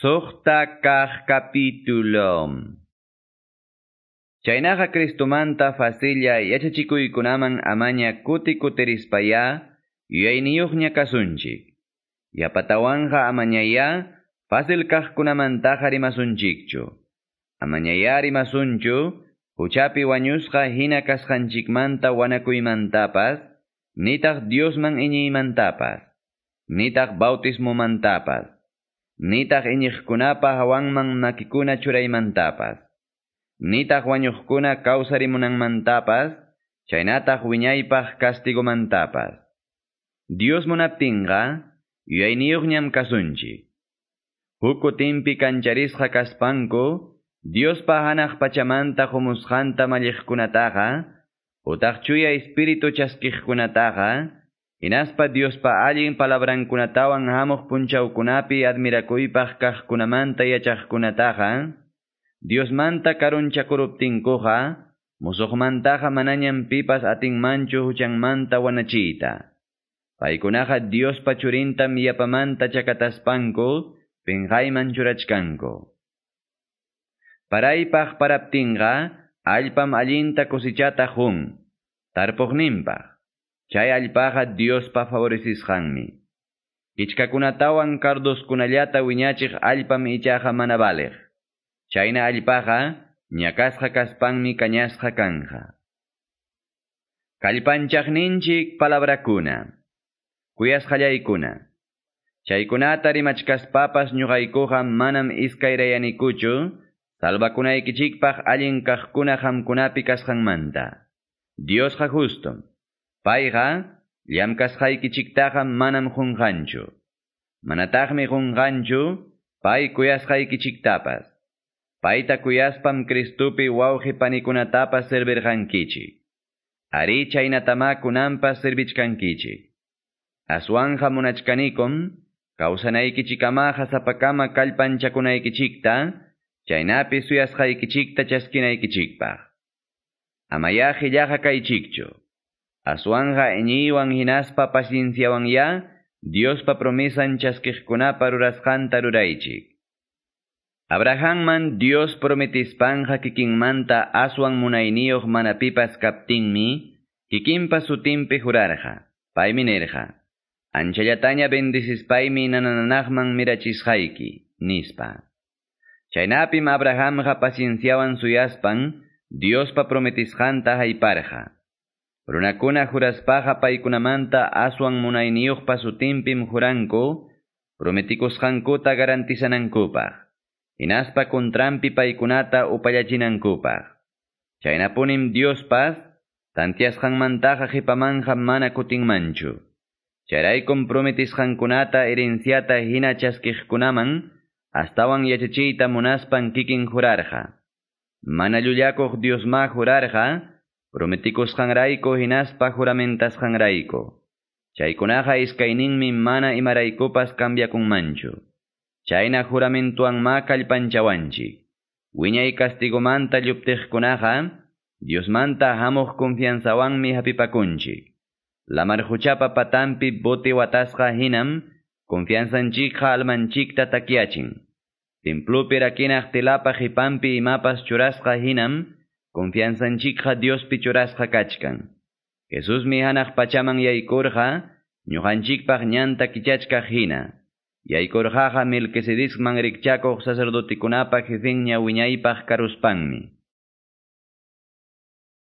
Suqta kaq capítulo. Chaynaqa Cristomanta facilla yachachikuykunaman amaña kuti kutirispaya yuyayniyuqña kasunchik. Yapatawanqa amañaya fácil kaqkunamantaqa rimasunchikchu. Amañaya rimasunchu huchapi wañusqa hina kasqanchikmanta wanakuymantapas, nitaq Diosman iñiymantapas, nitaq bautismomantapas, nitaq iñiqkunapa hawanman makikuna churaymantapas, nitaq wañuqkuna kawsarimunanmantapas, chaynataq wiñaypaq castigomantapas. Dios munaptinqa, yuyayniyuqñam kasunchik. Huk kutinpi kancharisqa kaspanku, Diospa hanaq pachamanta humusqanta malliqkunataqa, utaq chuya espíritu chaskiqkunataqa, hinaspa Diospa allin palabrankunatawan hamuq punchawkunapi admirakuypaq kaqkunamanta yachaqkunataqa, Diosmanta karunchakuruptinkuqa, musuqmantaqa manañam pipas atinmanchu huchanmanta wanachiyta. Paykunaqa Diospa churintam yapamanta chakataspanku, pinqayman churachkanku. Paraypaq paraptinqa, allpam allinta cosechata qun, tarpuqninpaq. Chay allpaqa Diospa favorecisqanmi. Kichkakunatawan cardoskunallata wiñachiq allpam ichaqa mana valiq. Chayna allpaqa ñakasqa kaspanmi kañasqa kanja. Kallpanchaqninchik palabrakuna. Kuyasqallaykuna. Chaykunata rimachkaspapas ñuqaykuqa manam iskayrayanikuchu, salvakunaykichikpaq allin kaqkuna qamkunapi kasqanmanta. Diosqa justum. Payqa llamkasqaykichiktaqa manam qunqanchu. Manataqmi qunqanchu pay kuyasqaykichiktapas. Payta kuyaspam Cristupi wawqi panikunatapas servirqankichik. Ari chaynatama kunanpas servichkankichik. Aswanja munachkanikum, kawsanaykichikamaqa sapakama kallpanchakunaykichikta, chaynapi suyasqaykichikta chaskinaykichikpaq. Amaya qillaqa kaychikchu. Aswanja iñiywan hinaspa pacienciawan ya, Diospa promesan chaskiqkunapa rurasqanta ruraychik. Abrahamman Dios prometispanqa kikinmanta aswan munayniyuq mana pipas kaptinmi, kikinpa sutinpi jurarqa. Paymi nirqa: Anchallataña bendicispaymi nananaqman mirachisqayki, nispa. Chaynapim Abrahamqa pacienciawan suyaspan, Diospa prometisqanta hayparqa. Runakuna juraspaqa paykunamanta aswan munayniyuqpa sutinpim juranku, prometikusqankuta garantizanankupaq. Hinaspa kontrampi paykunata upallachinankupaq. Chaynapunim Diospas, tantiasqanmantaqa qhipamanja mana kutinmanchu. Chayraykum prometisqankunata herenciata hina chaskiqkunaman, astawan yachachiyta munaspan kikin jurarqa. Mana llullakuq Diosma jurarqa, prometikusqanrayku hinaspa juramentasqanrayku. Chaykunaqa iskayninmi mana imaraykupas cambiakunmanchu. Chayna juramentuanma kallpanchawanchik. Wiñay castigomanta lluptiqkunaqa, Diosmanta hamuq confianzawanmi hapipakunchik. Lamar huchapa patampi bote watasqa hinam, confianzanchikqa almanchikta takyachin. Templopi rakinaq tilapa qipanpi imapas churasqa hinam, confianzanchikqa Diospi churasqa kachkan. Jesusmi hanaq pachaman yaykurqa, ñuqanchikpaq ñanta kichachkaq hina. Yaykurqaqa Melquisedecman rikchakuq sacerdotikunapa jefenña wiñaypaq karuspanmi.